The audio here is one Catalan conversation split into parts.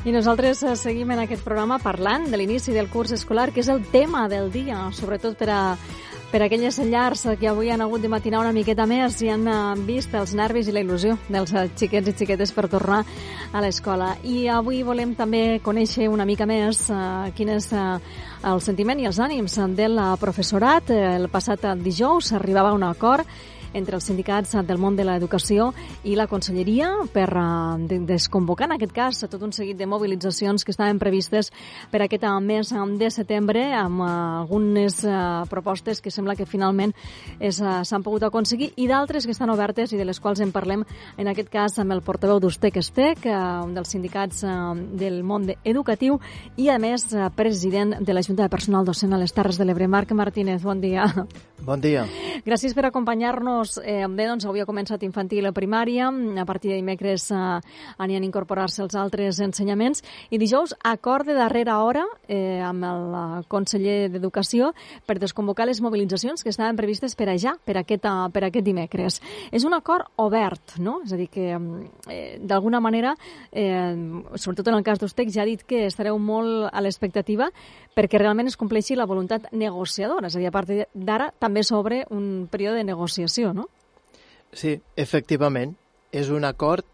I nosaltres seguim en aquest programa parlant de l'inici del curs escolar, que és el tema del dia, sobretot per aquelles llars que avui han hagut de matinar una miqueta més i han vist els nervis i la il·lusió dels xiquets i xiquetes per tornar a l'escola. I avui volem també conèixer una mica més quin és el sentiment i els ànims del professorat. El passat dijous s'arribava a un acord entre els sindicats del món de l'educació i la Conselleria per desconvocar, en aquest cas, tot un seguit de mobilitzacions que estaven previstes per aquest mes de setembre, amb algunes propostes que sembla que finalment s'han pogut aconseguir i d'altres que estan obertes i de les quals en parlem, en aquest cas, amb el portaveu d'Ustec-Estec, un dels sindicats del món educatiu i, a més, president de la Junta de Personal Docent a les Terres de l'Ebre. Marc Martínez, bon dia. Bon dia. Gràcies per acompanyar-nos. Bé, doncs avui ha començat infantil a primària, a partir de dimecres aniran a incorporar-se els altres ensenyaments i dijous acord de darrera hora amb el conseller d'Educació per desconvocar les mobilitzacions que estaven previstes per aquest dimecres. És un acord obert, no? És a dir, que d'alguna manera, sobretot en el cas d'Ustec, ja ha dit que estareu molt a l'expectativa perquè realment es compleixi la voluntat negociadora. És a dir, a partir d'ara també s'obre un període de negociació, no? Sí, efectivament. És un acord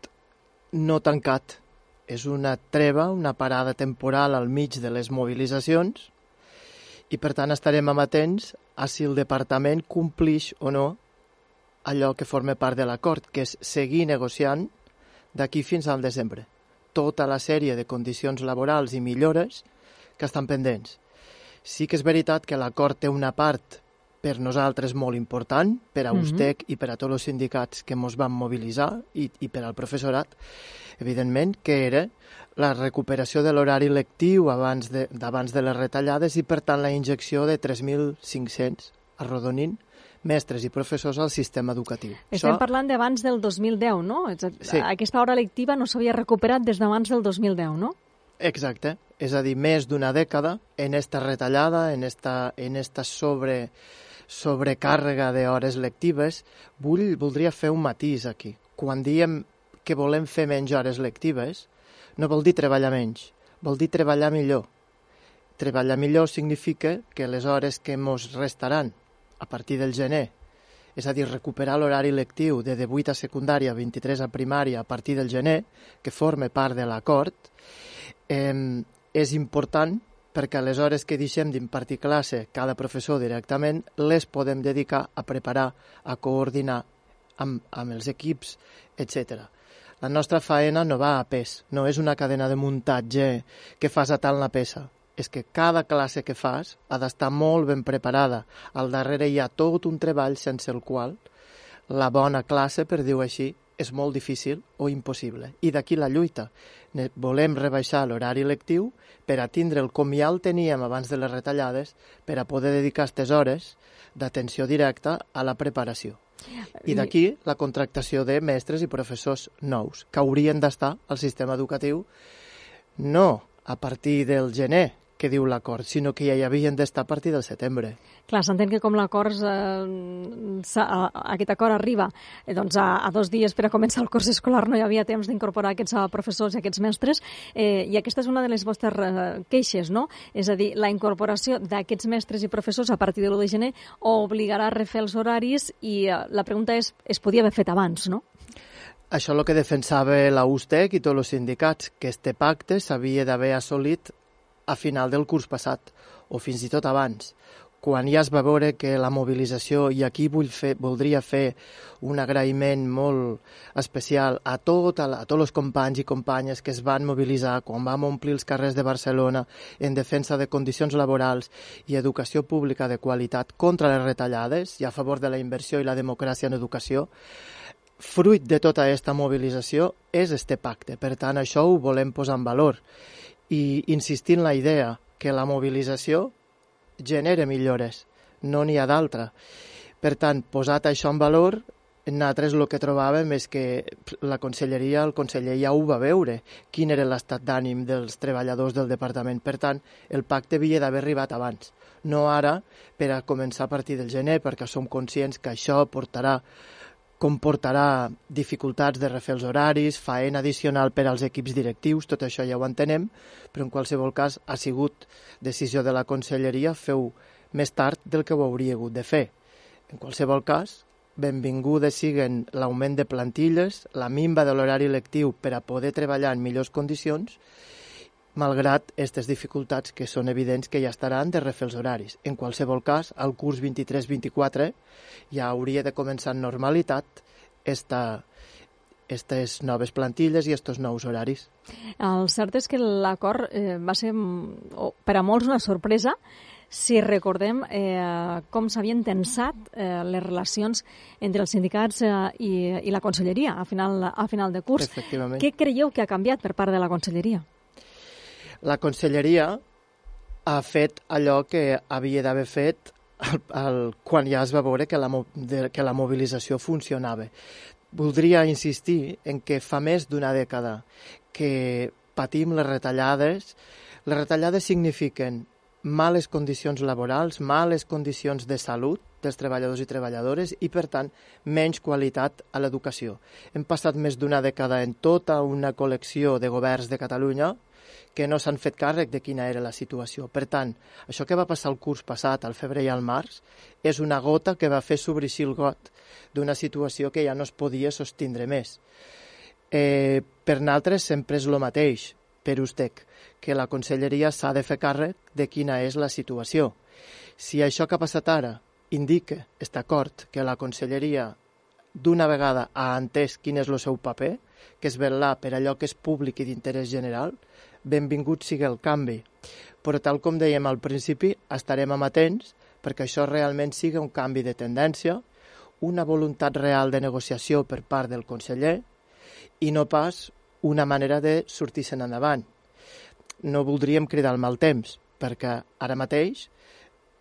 no tancat. És una treva, una parada temporal al mig de les mobilitzacions i, per tant, estarem amatents a si el departament complix o no allò que forma part de l'acord, que és seguir negociant d'aquí fins al desembre. Tota la sèrie de condicions laborals i millores que estan pendents. Sí que és veritat que l'acord té una part per nosaltres molt important, per a Ustec i per a tots els sindicats que ens van mobilitzar i per al professorat, evidentment, que era la recuperació de l'horari lectiu abans de les retallades i, per tant, la injecció de 3.500, arrodonint, mestres i professors al sistema educatiu. Estem parlant d'abans del 2010, no? Sí. Aquesta hora lectiva no s'havia recuperat des d'abans del 2010, no? Exacte. És a dir, més d'una dècada en esta retallada, en esta sobrecàrrega d'hores lectives. Voldria fer un matís aquí. Quan diem que volem fer menys hores lectives, no vol dir treballar menys, vol dir treballar millor. Treballar millor significa que les hores que ens restaran a partir del gener, és a dir, recuperar l'horari lectiu de 18 a secundària, 23 a primària a partir del gener, que forma part de l'acord, és important perquè les hores que deixem d'impartir classe cada professor directament les podem dedicar a preparar, a coordinar amb els equips, etc. La nostra faena no va a pes, no és una cadena de muntatge que fas atant la peça. És que cada classe que fas ha d'estar molt ben preparada. Al darrere hi ha tot un treball sense el qual la bona classe, per dir-ho així, és molt difícil o impossible. I d'aquí la lluita. Volem rebaixar l'horari lectiu per a tindre el com ja el teníem abans de les retallades, per a poder dedicar aquestes hores d'atenció directa a la preparació. I d'aquí la contractació de mestres i professors nous, que haurien d'estar al sistema educatiu no a partir del gener, que diu l'acord, sinó que ja hi havien d'estar a partir del setembre. Clar, s'entén que com l'acord, aquest acord arriba doncs a 2 dies per a començar el curs escolar, no hi havia temps d'incorporar aquests professors i aquests mestres, i aquesta és una de les vostres queixes, no? És a dir, la incorporació d'aquests mestres i professors a partir de l'1 de gener obligarà a refer els horaris i la pregunta és, es podia haver fet abans, no? Això és el que defensava la Ustec i tots els sindicats, que este pacte s'havia d'haver assolit a final del curs passat, o fins i tot abans, quan ja es va veure que la mobilització, i aquí voldria fer un agraïment molt especial a tots els companys i companyes que es van mobilitzar quan vam omplir els carrers de Barcelona en defensa de condicions laborals i educació pública de qualitat contra les retallades i a favor de la inversió i la democràcia en educació. Fruit de tota aquesta mobilització és este pacte. Per tant, això ho volem posar en valor. I insistir en la idea que la mobilització genera millores, no n'hi ha d'altra. Per tant, posat això en valor, nosaltres el que trobàvem és que la conselleria, el conseller ja ho va veure, quin era l'estat d'ànim dels treballadors del departament. Per tant, el pacte havia d'haver arribat abans, no ara per a començar a partir del gener, perquè som conscients que això portarà comportarà dificultats de refer els horaris, faena addicional per als equips directius, tot això ja ho entenem, però en qualsevol cas ha sigut decisió de la Conselleria feu més tard del que ho hauria hagut de fer. En qualsevol cas, benvingudes siguen l'augment de plantilles, la minva de l'horari lectiu per a poder treballar en millors condicions, malgrat aquestes dificultats que són evidents que ja estaran de refer els horaris. En qualsevol cas, al curs 23-24 ja hauria de començar en normalitat aquestes noves plantilles i aquests nous horaris. El cert és que l'acord va ser per a molts una sorpresa, si recordem com s'havien tensat les relacions entre els sindicats i la Conselleria a final de curs. Efectivament. Què creieu que ha canviat per part de la Conselleria? La Conselleria ha fet allò que havia d'haver fet quan ja es va veure que la mobilització funcionava. Voldria insistir en que fa més d'una dècada que patim les retallades. Les retallades signifiquen males condicions laborals, males condicions de salut dels treballadors i treballadores i, per tant, menys qualitat a l'educació. Hem passat més d'una dècada en tota una col·lecció de governs de Catalunya que no s'han fet càrrec de quina era la situació. Per tant, això que va passar el curs passat, al febrer i al març, és una gota que va fer sobreeixir el got d'una situació que ja no es podia sostindre més. Per nosaltres sempre és el mateix, per USTEC, que la Conselleria s'ha de fer càrrec de quina és la situació. Si això que ha passat ara indica, està d'acord, que la Conselleria d'una vegada ha entès quin és el seu paper, que és vetllar per allò que és públic i d'interès general, benvingut sigui el canvi. Però tal com dèiem al principi, estarem amatents perquè això realment sigui un canvi de tendència, una voluntat real de negociació per part del conseller i no pas una manera de sortir-se'n endavant. No voldríem cridar el mal temps, perquè ara mateix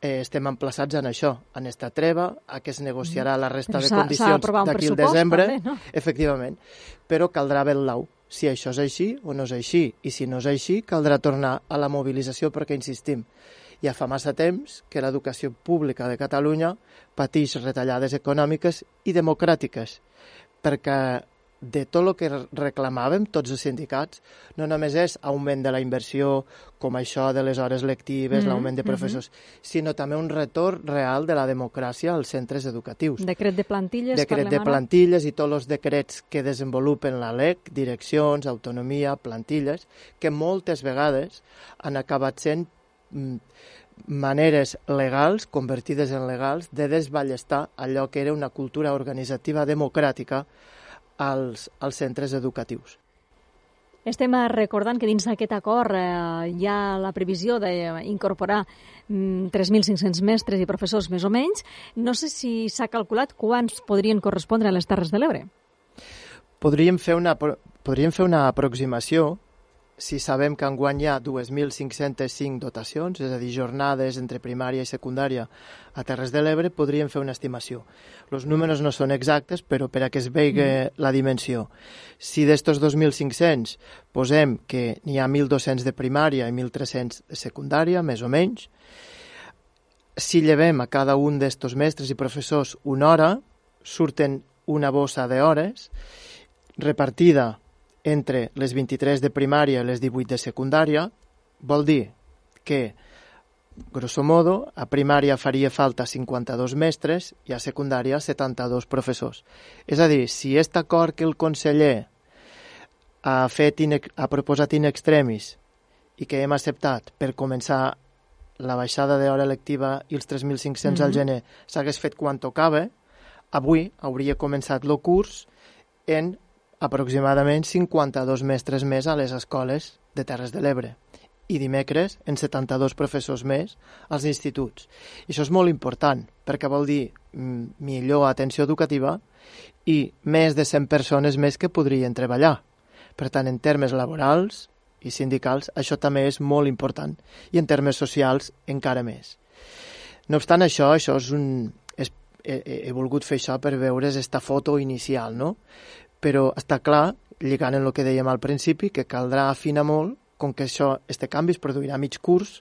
estem emplaçats en això, en esta treva, a què es negociarà la resta de condicions d'aquí al desembre, també, no? Efectivament, però caldrà vetllar si això és així o no és així, i si no és així caldrà tornar a la mobilització perquè, insistim, ja fa massa temps que l'educació pública de Catalunya pateix retallades econòmiques i democràtiques, perquè de tot el que reclamàvem tots els sindicats, no només és augment de la inversió, com això de les hores lectives, l'augment de professors, sinó també un retorn real de la democràcia als centres educatius. Decret de plantilles, decret de plantilles i tots els decrets que desenvolupen la LEC, direccions, autonomia, plantilles, que moltes vegades han acabat sent maneres legals, convertides en legals, de desballestar allò que era una cultura organitzativa democràtica als centres educatius. Estem recordant que dins d'aquest acord hi ha la previsió d'incorporar 3.500 mestres i professors més o menys. No sé si s'ha calculat quants podrien correspondre a les Terres de l'Ebre. Podríem fer una aproximació si sabem que enguany hi ha 2.505 dotacions, és a dir, jornades entre primària i secundària a Terres de l'Ebre, podríem fer una estimació. Els números no són exactes, però per a que es vegi la dimensió. Si d'estos 2.500 posem que n'hi ha 1.200 de primària i 1.300 de secundària, més o menys, si llevem a cada un d'estos mestres i professors una hora, surten una bossa d'hores repartida entre les 23 de primària i les 18 de secundària. Vol dir que, grosso modo, a primària faria falta 52 mestres i a secundària 72 professors. És a dir, si aquest acord que el conseller ha proposat in extremis i que hem acceptat per començar la baixada d'hora lectiva i els 3.500 al gener s'hagués fet quan tocava, avui hauria començat el curs en aproximadament 52 mestres més a les escoles de Terres de l'Ebre i dimecres en 72 professors més als instituts. I això és molt important perquè vol dir millor atenció educativa i més de 100 persones més que podrien treballar. Per tant, en termes laborals i sindicals, això també és molt important i en termes socials encara més. No obstant això, he volgut fer això per veure's esta foto inicial, no? Però està clar, lligant en el que dèiem al principi, que caldrà afinar molt, com que este canvi es produirà a mig curs,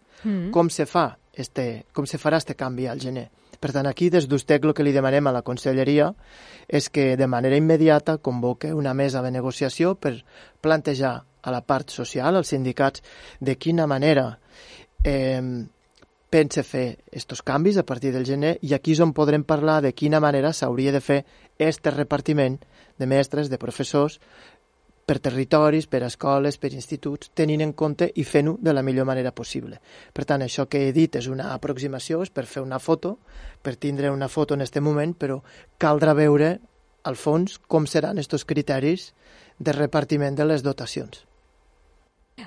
com se farà este canvi al gener. Per tant, aquí des d'USTEC el que li demanem a la Conselleria és que de manera immediata convoque una mesa de negociació per plantejar a la part social, als sindicats, de quina manera pense fer aquests canvis a partir del gener, i aquí és on podrem parlar de quina manera s'hauria de fer aquest repartiment de mestres, de professors, per territoris, per escoles, per instituts, tenint en compte i fent-ho de la millor manera possible. Per tant, això que he dit és una aproximació, és per fer una foto, per tindre una foto en aquest moment, però caldrà veure, al fons, com seran aquests criteris de repartiment de les dotacions.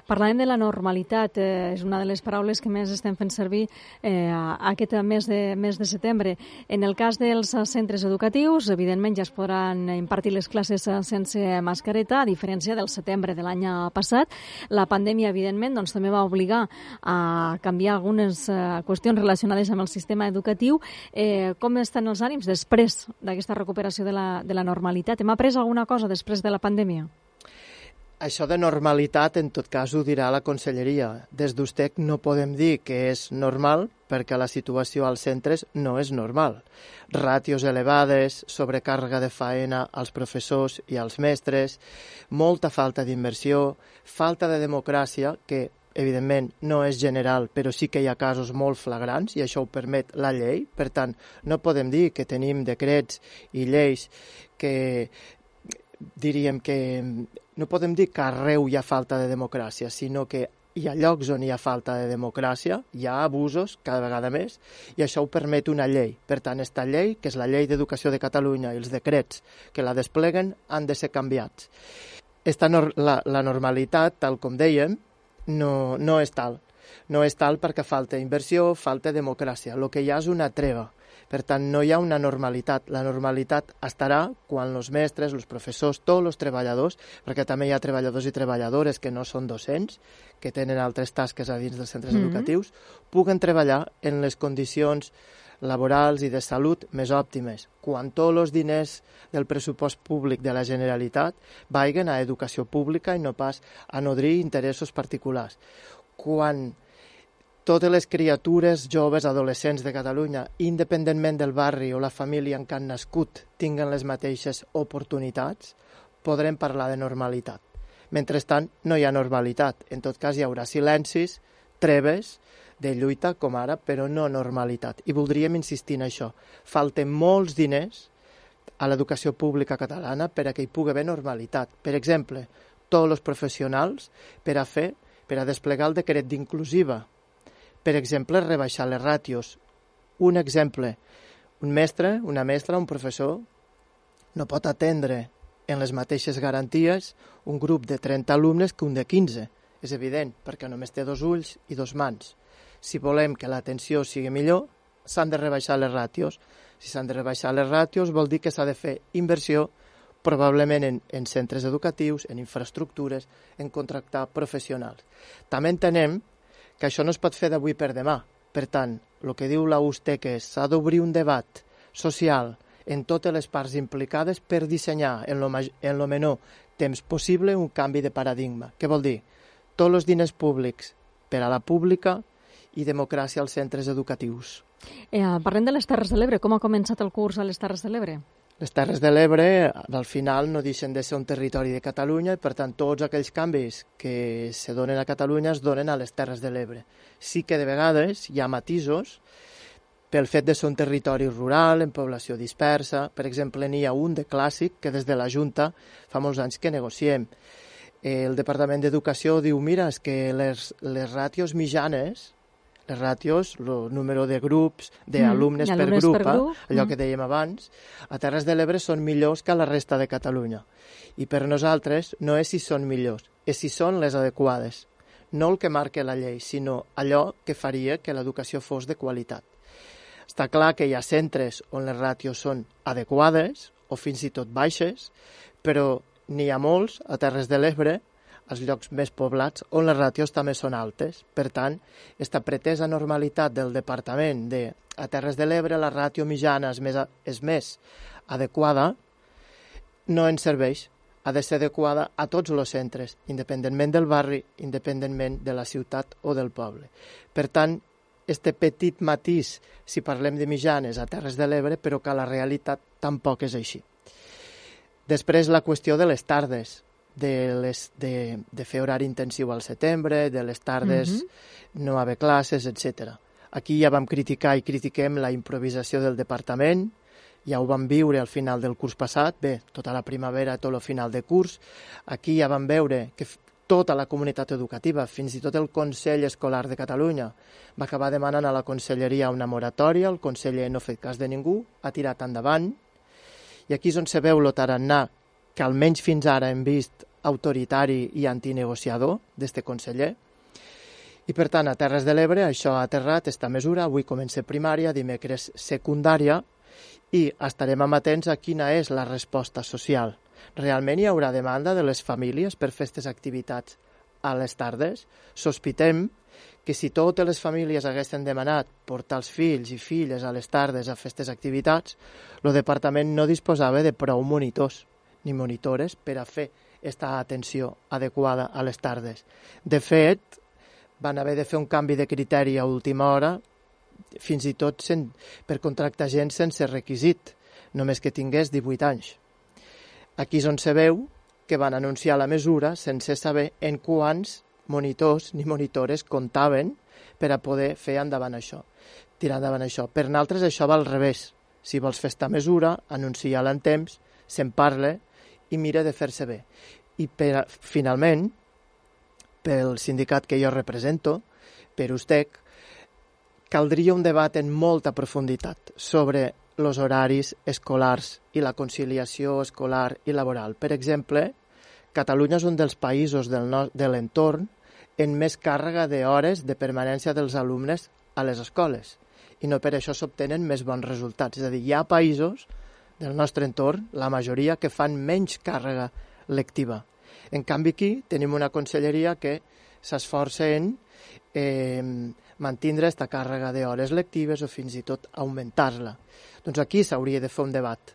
Parlàvem de la normalitat, és una de les paraules que més estem fent servir aquest mes de setembre. En el cas dels centres educatius, evidentment ja es podran impartir les classes sense mascareta, a diferència del setembre de l'any passat. La pandèmia, evidentment, doncs, també va obligar a canviar algunes qüestions relacionades amb el sistema educatiu. Com estan els ànims després d'aquesta recuperació de la normalitat? Hem après alguna cosa després de la pandèmia? Això de normalitat, en tot cas, ho dirà la Conselleria. Des d'USTEC no podem dir que és normal perquè la situació als centres no és normal. Ràtios elevades, sobrecàrrega de faena als professors i als mestres, molta falta d'inversió, falta de democràcia, que evidentment no és general, però sí que hi ha casos molt flagrants i això ho permet la llei. Per tant, no podem dir que tenim decrets i lleis que diríem que no podem dir que arreu hi ha falta de democràcia, sinó que hi ha llocs on hi ha falta de democràcia, hi ha abusos cada vegada més, i això ho permet una llei. Per tant, aquesta llei, que és la Llei d'Educació de Catalunya, i els decrets que la despleguen han de ser canviats. La normalitat, tal com dèiem, no és tal. No és tal perquè falta inversió, falta democràcia. El que hi ha és una treva. Per tant, no hi ha una normalitat. La normalitat estarà quan els mestres, els professors, tots els treballadors, perquè també hi ha treballadors i treballadores que no són docents, que tenen altres tasques a dins dels centres educatius, puguen treballar en les condicions laborals i de salut més òptimes, quan tots els diners del pressupost públic de la Generalitat vagin a educació pública i no pas a nodrir interessos particulars. Quan totes les criatures, joves, adolescents de Catalunya, independentment del barri o la família en què han nascut, tinguen les mateixes oportunitats, podrem parlar de normalitat. Mentrestant, no hi ha normalitat. En tot cas, hi haurà silencis, treves de lluita, com ara, però no normalitat. I voldríem insistir en això. Falten molts diners a l'educació pública catalana per a que hi pugui haver normalitat. Per exemple, tots els professionals per a desplegar el decret d'inclusiva. Per exemple, rebaixar les ràtios. Un exemple, un mestre, una mestra, un professor no pot atendre en les mateixes garanties un grup de 30 alumnes que un de 15. És evident, perquè només té 2 ulls i 2 mans. Si volem que l'atenció sigui millor, s'han de rebaixar les ràtios. Si s'han de rebaixar les ràtios vol dir que s'ha de fer inversió, probablement en centres educatius, en infraestructures, en contractar professionals. També entenem que això no es pot fer d'avui per demà. Per tant, el que diu la USTEC és s'ha d'obrir un debat social en totes les parts implicades per dissenyar en lo menor temps possible un canvi de paradigma. Què vol dir? Tots els diners públics per a la pública i democràcia als centres educatius. Parlem de les Terres de l'Ebre. Com ha començat el curs a les Terres de l'Ebre? Les Terres de l'Ebre, al final, no deixen de ser un territori de Catalunya i, per tant, tots aquells canvis que se donen a Catalunya es donen a les Terres de l'Ebre. Sí que de vegades hi ha matisos pel fet de ser un territori rural, en població dispersa. Per exemple, n'hi ha un de clàssic que des de la Junta fa molts anys que negociem. El Departament d'Educació diu, mira, és que les ràtios mitjanes, les ràtios, el número de grups, d'alumnes per grup, allò que dèiem abans, a Terres de l'Ebre són millors que a la resta de Catalunya. I per nosaltres no és si són millors, és si són les adequades. No el que marca la llei, sinó allò que faria que l'educació fos de qualitat. Està clar que hi ha centres on les ràtios són adequades o fins i tot baixes, però n'hi ha molts a Terres de l'Ebre, als llocs més poblats, on les ràtios també són altes. Per tant, aquesta pretesa normalitat del departament a Terres de l'Ebre, la ràtio mitjana és més adequada, no ens serveix. Ha de ser adequada a tots els centres, independentment del barri, independentment de la ciutat o del poble. Per tant, este petit matís si parlem de mitjanes a Terres de l'Ebre, però que la realitat tampoc és així. Després la qüestió de les tardes, de fer horari intensiu al setembre, de les tardes no haver classes, etc. Aquí ja vam criticar i critiquem la improvisació del departament, ja ho vam viure al final del curs passat, bé, tota la primavera, tot el final de curs. Aquí ja vam veure que tota la comunitat educativa, fins i tot el Consell Escolar de Catalunya, va acabar demanant a la Conselleria una moratòria, el conseller no ha fet cas de ningú, ha tirat endavant, i aquí és on se veu el tarannà que almenys fins ara hem vist autoritari i antinegociador d'este conseller. I per tant, a Terres de l'Ebre això ha aterrat, esta mesura, avui comença primària, dimecres secundària, i estarem amatents a quina és la resposta social. Realment hi haurà demanda de les famílies per fer aquestes activitats a les tardes? Sospitem que si totes les famílies haguessin demanat portar els fills i filles a les tardes a fer aquestes activitats, el departament no disposava de prou monitors ni monitores per a fer aquesta atenció adequada a les tardes. De fet, van haver de fer un canvi de criteri a última hora, fins i tot per contractar gent sense requisit, només que tingués 18 anys. Aquí és on se veu que van anunciar la mesura sense saber en quants monitors ni monitores comptaven per a poder fer endavant això, tirar endavant això. Per nosaltres això va al revés. Si vols fer aquesta mesura, anuncia-la en temps, se'n parla i mira de fer-se bé. I finalment, pel sindicat que jo represento, per USTEC, caldria un debat en molta profunditat sobre els horaris escolars i la conciliació escolar i laboral. Per exemple, Catalunya és un dels països de l'entorn en més càrrega d'hores de permanència dels alumnes a les escoles i no per això s'obtenen més bons resultats. És a dir, hi ha països del nostre entorn, la majoria, que fan menys càrrega lectiva. En canvi, aquí tenim una conselleria que s'esforça en mantindre aquesta càrrega d'hores lectives o fins i tot augmentar-la. Doncs aquí s'hauria de fer un debat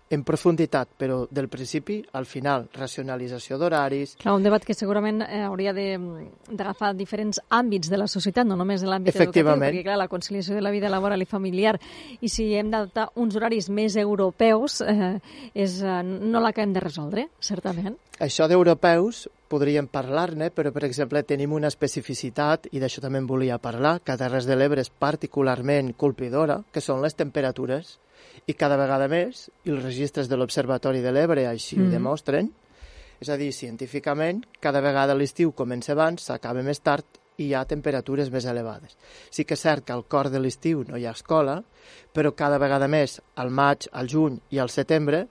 en profunditat, però del principi al final, racionalització d'horaris... Clar, un debat que segurament hauria d'agafar diferents àmbits de la societat, no només de l'àmbit educatiu, perquè clar, la conciliació de la vida laboral i familiar, i si hem d'adoptar uns horaris més europeus, no l'acabem de resoldre, certament. Això d'europeus podríem parlar-ne, però, per exemple, tenim una especificitat, i d'això també en volia parlar, que a Terres de l'Ebre és particularment colpidora, que són les temperatures, i cada vegada més, i els registres de l'Observatori de l'Ebre així ho demostren, és a dir, científicament, cada vegada l'estiu comença abans, s'acaba més tard i hi ha temperatures més elevades. Sí que és cert que al cor de l'estiu no hi ha escola, però cada vegada més, al maig, al juny i al setembre,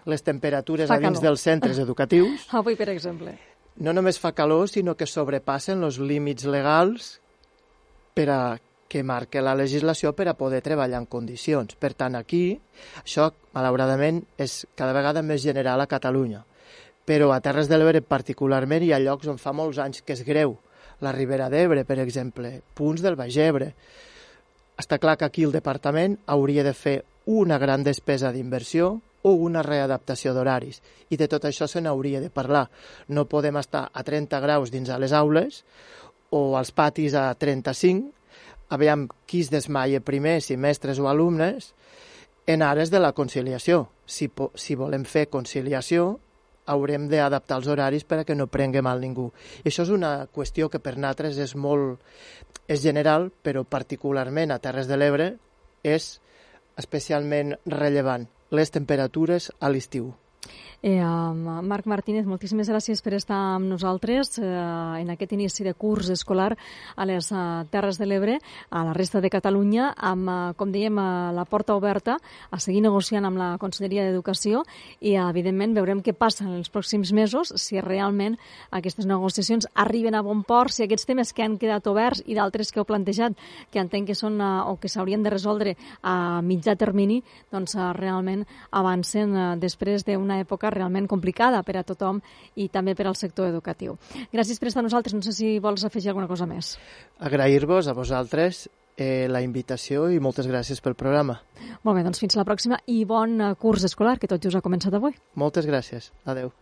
les temperatures a dins dels centres educatius... Avui, per exemple. No només fa calor, sinó que sobrepassen els límits legals per a que marca la legislació per a poder treballar en condicions. Per tant, aquí, això, malauradament, és cada vegada més general a Catalunya. Però a Terres de l'Ebre, particularment, hi ha llocs on fa molts anys que és greu. La Ribera d'Ebre, per exemple, punts del Baix Ebre. Està clar que aquí el departament hauria de fer una gran despesa d'inversió o una readaptació d'horaris. I de tot això se n'hauria de parlar. No podem estar a 30 graus dins a les aules o als patis a 35, aviam qui es desmaia primer, si mestres o alumnes, en ares de la conciliació. Si volem fer conciliació, haurem d'adaptar els horaris perquè no prengui mal ningú. I això és una qüestió que per nosaltres és general, però particularment a Terres de l'Ebre és especialment rellevant, les temperatures a l'estiu. Marc Martínez, moltíssimes gràcies per estar amb nosaltres en aquest inici de curs escolar a les Terres de l'Ebre, a la resta de Catalunya, amb, com dèiem, la porta oberta a seguir negociant amb la Conselleria d'Educació i, evidentment, veurem què passa en els pròxims mesos, si realment aquestes negociacions arriben a bon port, si aquests temes que han quedat oberts i d'altres que heu plantejat, que entenc que són o que s'haurien de resoldre a mitjà termini, doncs realment avancen després d'una època realment complicada per a tothom i també per al sector educatiu. Gràcies per estar amb nosaltres. No sé si vols afegir alguna cosa més. Agrair-vos a vosaltres la invitació i moltes gràcies pel programa. Molt bé, doncs fins la pròxima i bon curs escolar, que tot just ha començat avui. Moltes gràcies. Adeu.